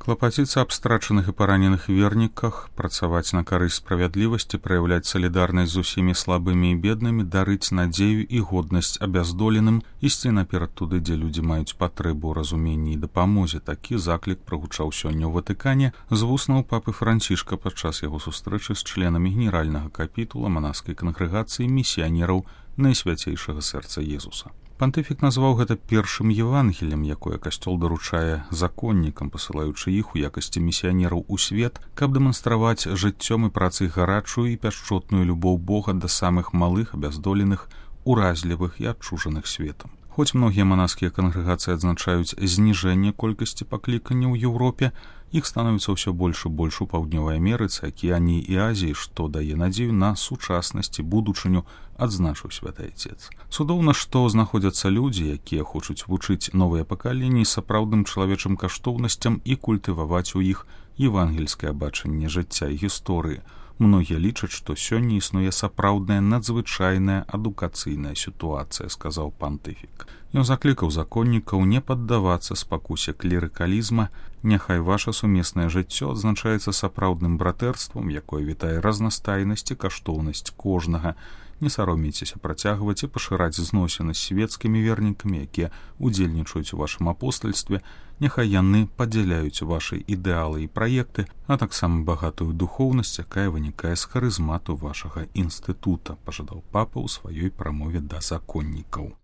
Клапаціцца аб страчаных і параненых верніках, працаваць на карысць справядлівасці, праяўляць салідарнасць з усімі слабымі і беднымі, дарыць надзею і годнасць абяздоленым, ісці наперад туды, дзе людзі маюць патрэбу ў разуменні і дапамозе. Такі заклік прагучаў сёння ў Ватыкане з вуснаў папы Францішка падчас яго сустрэчы з членамі генеральнага капітула манаскай кангрэгацыі місіянераў Найсвяцейшага сэрца Езуса. Пантыфік назваў гэта першым Евангелем, якое касцёл даручае законнікам, пасылаючы іх у якасці місіянераў у свет, каб дэманстраваць жыццём і працай гарачую і пяшчотную любоў Бога да самых малых, абяздоленых, уразлівых і адчужаных светам. Хоць многія манаскія кангрэгацыі адзначаюць зніжэнне колькасці пакліканняў у Еўропе, іх становіцца ўсё больш і больш у Паўднёвай Амерыцы, Акіяніі і Азіі, што дае надзею на сучаснасць і будучыню, адзначыў святы Айцец. Цудоўна, што знаходзяцца людзі, якія хочуць вучыць новыя пакаленні сапраўдным чалавечым каштоўнасцям і культываваць у іх евангельскае бачанне жыцця і гісторыі. Многія лічаць, што сёння існуе сапраўдная надзвычайная адукацыйная сітуацыя, сказаў пантыфік. Ён заклікаў законнікаў не паддавацца спакусе клерыкалізма, няхай ваша сумеснае жыццё адзначаецца сапраўдным братэрствам, якое вітае разнастайнасць і каштоўнасць кожнага. Не саромейцеся працягваць і пашыраць зносіны з свецкімі вернікамі, якія удзельнічаюць у вашым апостальстве, няхай яны падзяляюць вашы ідэалы і праекты, а таксама багатую духоўнасць, якая вынікае з харызмату вашага інстытута, пажадаў папа ў сваёй прамове да законнікаў.